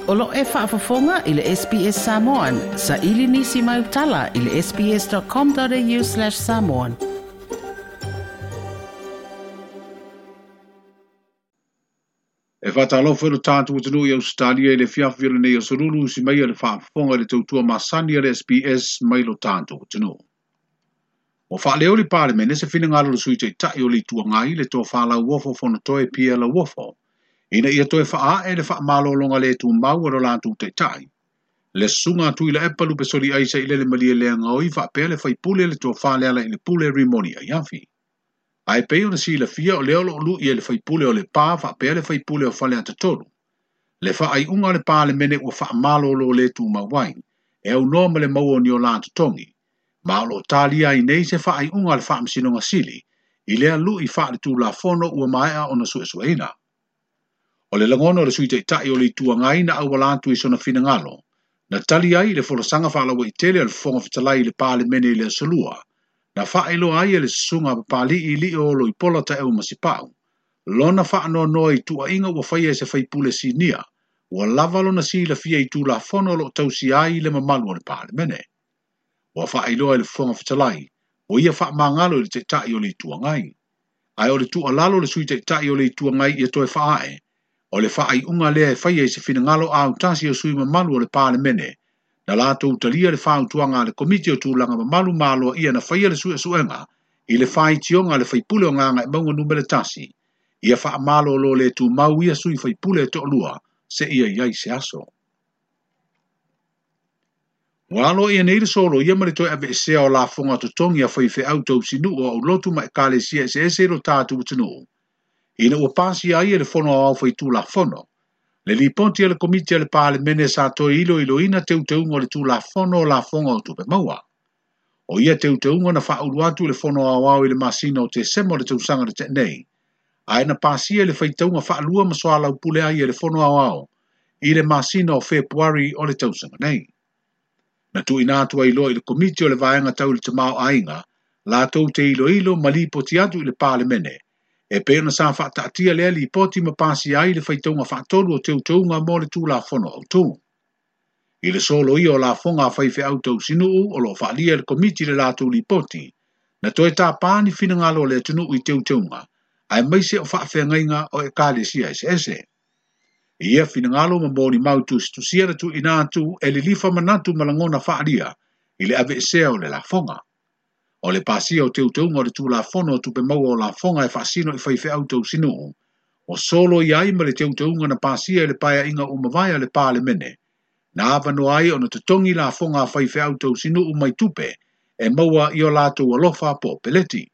O lo e faafofoga i le SBS Samoan. Sa ili nisi mai utala i le sbs.com.au/samoan. E whātalofa lo tātou atunuu i Australia i le fiafi o lenei aso lulu si mai le faafofoga i le tautua masani a le SBS mai lo tātou atunuu. Ua faaleo i le Palemene se finagalo o le Sui Taitai o le Itu Agai le Tofa Lauofo Fonotoe Pierre Lauofo ina ia toe faaee le faamalologa le tumau a lo latou taitai. Le susuga a Tuilaepa Lupesoliai Sailele Malielegaoi faapea le faipule le tofa Lealailepule Rimoni Aiafi. Ae pei ona silafia o lea o loo lui e le faipule o Lepa faapea le faipule o Faleata 3. Le faaiuga o le Palemene ua faamalolo le tumau ai, e aunoa ma le maua o ni o la totogi. Ma o loo talia ai nei se faaiuga a le Faamasinoga Sili, i lea lui faaletulafono ua maea ona suesueina. O le lagona o le Sui Taitai o le Itu Agai na auala atu i sona finagalo, na tali ai le folasaga faalauaitele a le Fofoga Fetalai i le Palemene i le aso Lua, na faailoa ai e le susuga a Papali'i Lio o Loipola Taeu Masipau, lona faanoanoa i tuuaiga ua faia e se faipule sinia, ua lava lona silafia i tulafono o loo tausia ai le mamalu o le Palemene. Ua faailoa e le Fofoga Fetalai, ua ia faamagalo i le Taitai o le Itu Agai. Ae o le tuualalo le Sui Taitai o le Itu Agai ia toe faaee, o le faaiuga lea e faia i se finagalo autasi o sui mamalu o le Palemene, na latou talia le fautuaga a le Komiti o Tulaga Mamalu ma Aloaia na faia le suesuega i le faitioga a le faipule o Gagaemauga numera 1, ia faamalolo le tumau ia sui faipule e toalua seia i ai se aso. Ua aloaia nei le soloia ma le toe aveesea o lafoga totogi a faifeau tausinuu o aulotu ma ekalesia eseese i lo tatou atunuu, ina ua pasia ai e le Fono Aoao Faitulafono. Le lipoti a le Komiti a le Palemene sa toe iloiloina teuteuga o le Tulafono o Lafoga o Tupe Maua. O ia teuteuga na faaulu atu i le Fono Aoao i le masina o Tesema o le tausaga na tea nei, ae na pasia i le faitauga faalua ma soalaupule ai e le Fono Aoao i le masina o Fepuari o le tausaga nei. Na tuuina atu ai loa i le Komiti o le Vaega Tau i le Tamaoaiga latou te iloilo ma lipoti atu i le Palemene, e pei ona sa faataatia lea lipoti ma pasia ai le faitauga faatolu o teuteuga mo le Tulafono Autu. I le soloia o lafoga a faifeau tausinuu o loo faalia e le Komiti le latou lipoti, na toe tāpā ni finagalo o le atunuu i teuteuga, aemaise o faafeagaiga o ekalesia eseese. I ia finagalo ma molimau tusitusia na tuuina atu e lilifa manatu ma lagona faalia i le aveesea o le lafoga. O le pasia o teuteuga o le Tulafono o Tupe Maua o Lafoga e faasino i faifeau tausinuu, o solo i ai ma le teuteuga na pasia i le paeaiga ua mavae a le Palemene, na avanoa ai ona totogi lafoga a faifeau tausinuu mai tupe e maua i o latou alofa po o peleti.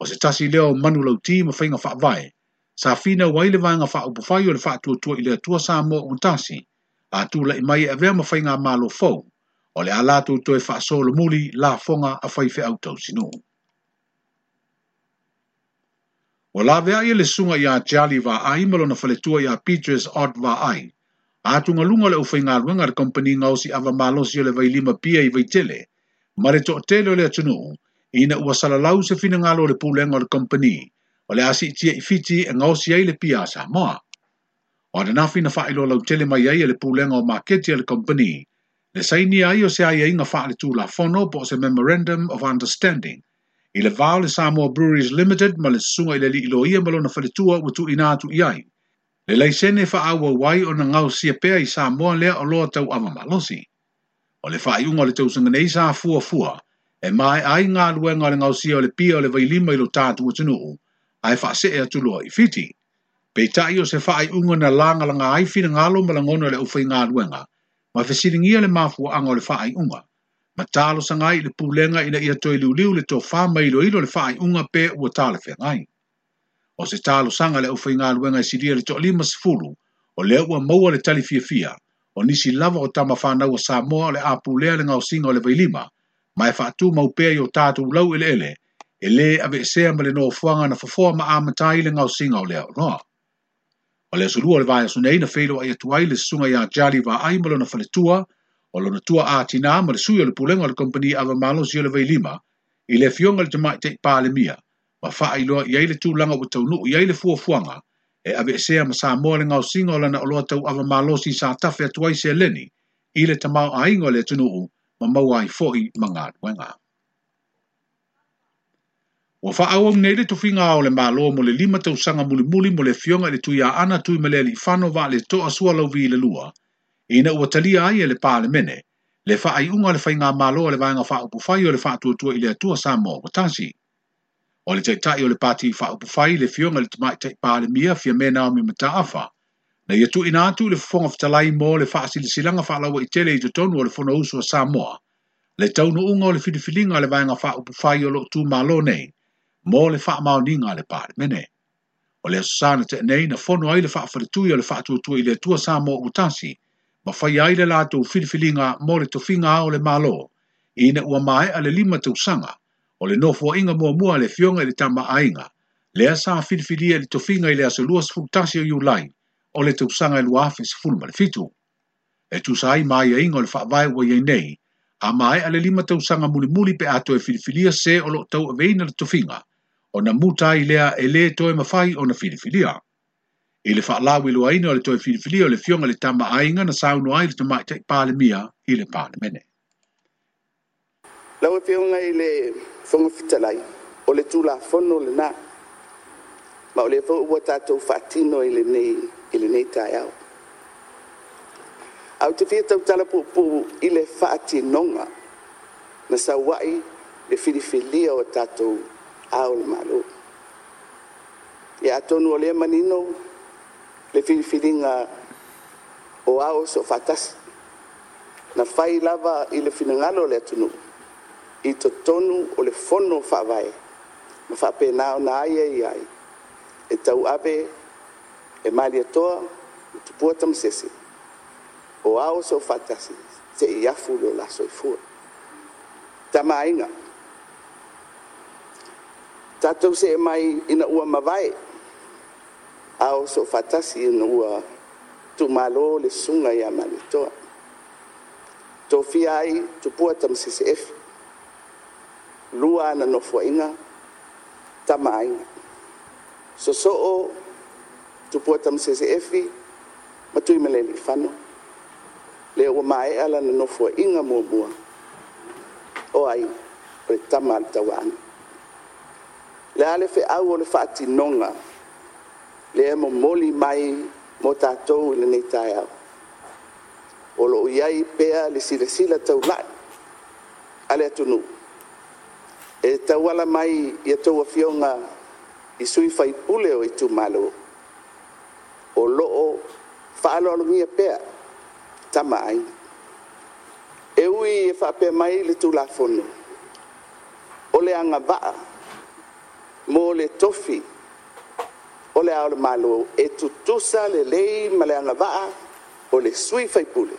O se tasi lea o manulauti ma faiga faavae, sa finau ai le vaega faaupufai o le faatuatua i le Atua Samoa ua tasi, a tulai mai e avea ma faigamalo fou, o le a latou toe faasolomuli lafoga a faifeau tausinuu. Ua laveai e le susuga ia Charlie Vaai ma lona faletua ia Beatrice Ott Vaai, atugaluga o le aufaigaluega a le kamupani gaosi ava malosi o le Vailima Pia i Vaitele, ma le toatele o le atunuu, ina ua salalau se finagalo o le pulega o le kamupani, o le a siitia i Fiti e gaosi ai le pia a Samoa. O ananafi na faailoa lautele mai ai e le pulega o maketi a le kamupani, le sainia ai o se aiaiga faaletulafono po o se Memorandum of Understanding, i le va o le Samoa Breweries Limited ma le susuga i le alii loia ma lona faletua ua tuuina atu i ai, le laisene faaauau ai ona gaosia pea i Samoa lea oloa tau ava malosi. O le faaiuga o le tausaga nei sa fuafua, e maea ai galuega o le gaosia o le pia o le Vailima i lo tatou atunuu, ae faasee atu loa i Fiti. Peitai o se faaiuga na lagalaga ai finagalo ma lagona o le aufaigaluega, ma fesiligia le mafuaaga o le faaiuga, ma talosaga ai i le pulega ina ia toe liuliu le tofa ma iloilo le faaiuga pe ua talafeagai. O se talosaga le aufaigaluega e silia le 50, o lea ua maua le tali fiafia, o nisi lava o tama fanau a Samoa o le a pulea le gaosiga o le Vailima, ma e faatumau pea i o tatou laueleele, e lē aveesea ma le nofoaga na fofoa ma amata ai le gaosiga o lea oloa. O le aso lua o le vaiaso nei na feiloai atu ai le susuga ia Charlie Vaai ma lona faletua, o lona tua a tina ma le sui o le pulega o le kamupani ava malosi o le Vailima, i le afioga i le Tamaitai Palemia, ma faailoa i ai le tulaga ua taunuu i ai le fuafuaga, e aveesea ma Samoa le gaosiga o lana oloa tauava malosi sa tafe atu ai seleni i le tamaoaiga o le atunuu ma maua ai foi ma galuega. Ua faaauau nei le tofiga ao o le Malo mo le 5 tausaga mulimuli mo le Afioga i le Tuiaana Tuimalealiifano Vaaletoa Sualauvi II, ina ua talia ai e le Palemene le faaiuga o le Faigamalo a le Vaega Faaupufai o le Faatuatua i le Atua Samoa ua tasi. O le Taitai o le Pati Faaupufai, le Afioga i le Tamaitai Palemia Fiame Naomi Mataafa, na ia tuuina atu i le Fofoga Fetalai mo le faasilasilaga faalauaitele i totonu o le Fonousu a Samoa, le taunuuga o le filifiliga a le Vaega Faaupufai o lo o tumalo nei mo le faamaoniga a le Palemene. O le Aso Sa na tea nei na fono ai le faafaletui o le Faatuatua i le Atua Samoa ua tasi, ma faia ai le latou filifiliga mo le tofiga ao o le Malo, ina ua maea le 5 tausaga o le nofoaiga muamua a le Afioga i le Tama a Aiga, lea sa filifilia i le tofiga i le aso 21 o Iulai o le tausaga e 2017. E tusa ai ma aiaiga o le faavae ua i ai nei, a maea le 5 tausaga mulimuli pe a toe filifilia se o loo tauaveina le tofiga, ona muta ai lea e lē toe mafai ona filifilia. I le faalauiloaina o le toe filifilia o le Afioga i le Tama a Aiga na saunoa ai le Tamaitai Palemia i le Palemene. Lau Afioga i le Fofoga Fetalai, o le Tulafono lena, ma o lea foi ua tatou faatino i lenei taeao. Ae ou te fia tautala puupuu i le faatinoga na sau ai le filifilia o tatou Ao o le Malo. Ia atonu o lea e manino le filifiliga o Ao Soofaatasi, na fai lava i le finagalo o le atunuu i totonu o le Fono Faavae ma faapena ona aiaia ai e tauave e Malietoa ma Tupua Tamasese o Ao Soofaatasi seia afu lo la soifua. Tama a Aiga, tatou see mai ina ua mavae Ao Soofaatasi ina ua tuumalo le susuga ia Malietoa, tofia ai Tupua Tamasese Efi, 2 ana nofoaiga, Tama a Aiga. Sosoo Tupua Tamasese Efi ma Tuimalealiifano, lea ua maea lana nofoaiga muamua, o ai? O le Tama a le Tauaana. O le a le feau o le faatinoga lea e momoli mai mo tatou i lenei taeao? O lo o i ai pea le silasila taulai a le atunuu e tauala mai i a outou Afioga i sui usufono o itumalo, o lo o faaaloalogia pea Tama a Aiga. E ui e faapea mai le Tulafono, o le agavaa mo le tofi o le Ao o le Malo e tutusa lelei ma le agavaa o le sui usufono,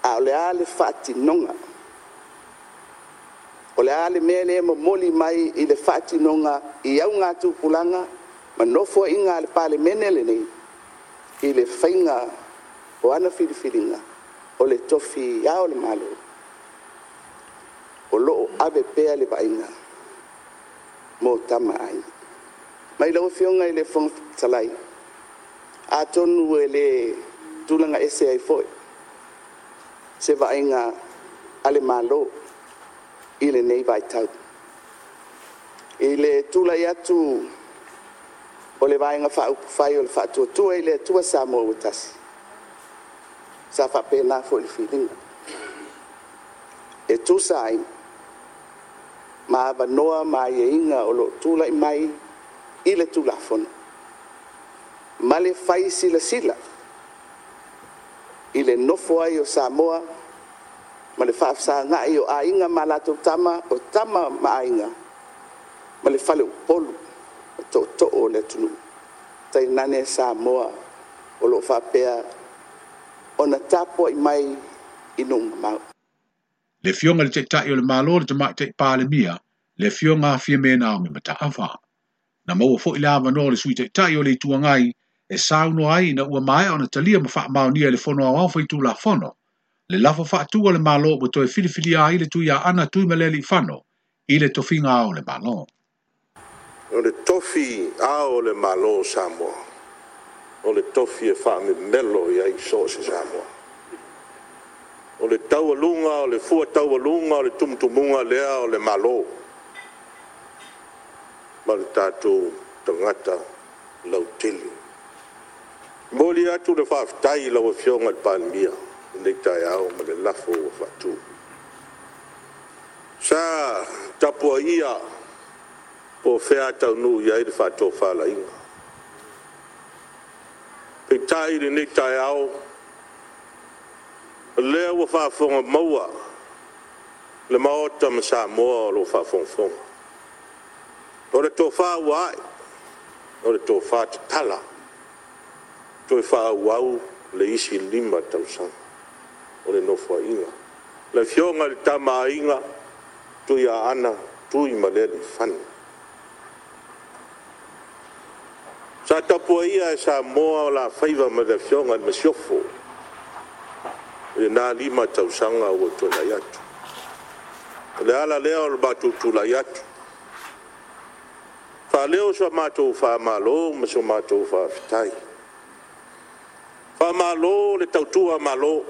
a o le a le faatinoga? O le a le mea lea e momoli mai i le faatinoga i augatupulaga ma nofoaiga a le Palemene lenei i le faiga o ana filifiliga o le tofi Ao o le Malo, o lo o ave pea le vaaiga mo Tama a Aiga. Ma lau Afioga i le Fofoga Fetalai, atonu e le tulaga ese ai foi se vaaiga a le Malo i lenei vaitau. I le tulai atu o le Vaega Faaupufai o le Faatuatua i le Atua Samoa ua Tasi, sa faapena foi le filiga, e tusa ai ma avanoa ma aiaiga o lo o tulai mai i le Tulafono ma le fai silasila i le nofo ai o Samoa ma le faafesagai o Aiga ma latou Tama, o Tama ma Aiga, ma le faleupolu o tootoo o le atunuu, tainane Samoa o lo o faapea ona tapuai mai i nuu mamao. Le Afioga i le Taitai o le Malo, le Tamaitai Palemia, le Afioga Fiame Naomi Mataafa. Na maua foi le avanoa o le Sui Taitai o le Itu Agai e saunoa ai ina ua maea ona talia ma faamaonia e le Fono Aoao Faitulafono le lafo faatu a le Malo ua toe filifilia ai le Tuiaana Tuimalealiifano i le tofiga ao o le Malo. O le Tofi Ao o le Malo o Samoa, o le Tofi e faamemelo i ai so o se Samoa. O le taualuga o le fua taualuga o le tumutumuga lea o le Malo ma le tatou tagata lautele. E momoli atu le faafetai i lau Afioga i le Palemia i lenei taeao ma le lafo ua faatu. Sa tapuaia po o fea a taunuu i ai le faatofalaiga. Peitai i lenei taeao, o lea ua faafofoga maua le Maota ma Samoa o lo o faafogafoga. O le tofa ua ae, o le tofa tatala, toe faaauau le isi 5 tausaga o le Nofoaiga. Le Afioga i le Tama a Aiga, Tuiaana Tuimalealiifano. Sa tapuaia e Samoa o la faiva ma le Afioga i le Masiofo i lena 5 tausaga ua tuanai atu. O le ala lea o le matou tulai atu, faaleo sa matou faamalo ma so matou faafetai. Faamalo le tautua Malo,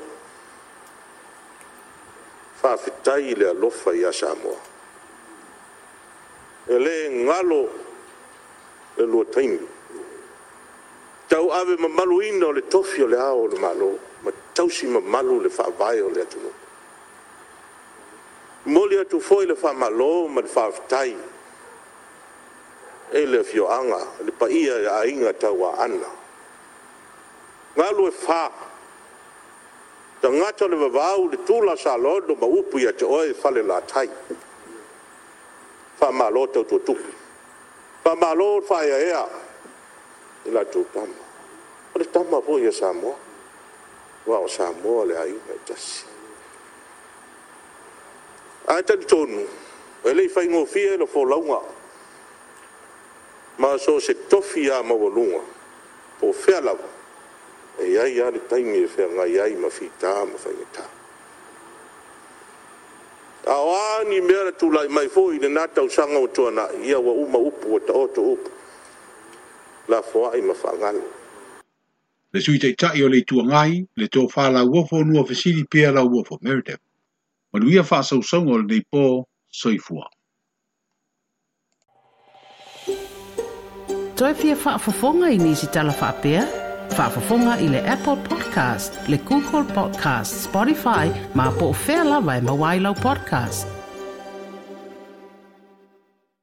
faafetai le alofa ia Samoa. E le galo le lua taimi, tauave mamaluina o le Tofi o Le Ao o le Malo ma tausi mamalu le Faavae o le atunuu. E momoli atu foi le faamalo ma le faafetai i le afioaga, le paia i Aiga Tauaana, Galuefa, tagata o le vavau, le tula o Salogo ma upu ia te oe Falelatai. Faamalo tautua tupu, faamalo le faaeaea i la outou Tama. O le tama foi a Samoa, aua o Samoa o le aiga e tasi. Ae talitonu, e le i faigofie le folauga, ma so o se tofi lava maualuga, po o fea lava, e i ai lava le taimi e feagai ai ma fita ma faigata. A o a ni mea na tulai mai foi i lena tausaga ua tuanai, ia ua uma upu ua taoto upu, lafoai ma faagalo. Le Sui Taitai o le Itu Agai, le Tofa Lauofo Nuafesili Pierre Lauofo Meredith. Manuia faasausauga o lenei po, soifua. Toe fia faafofoga i nisi tala faapea? Faafofoga i le Apple Podcast, le Google Podcast, Spotify, ma po o fea lava e maua ai lau podcast.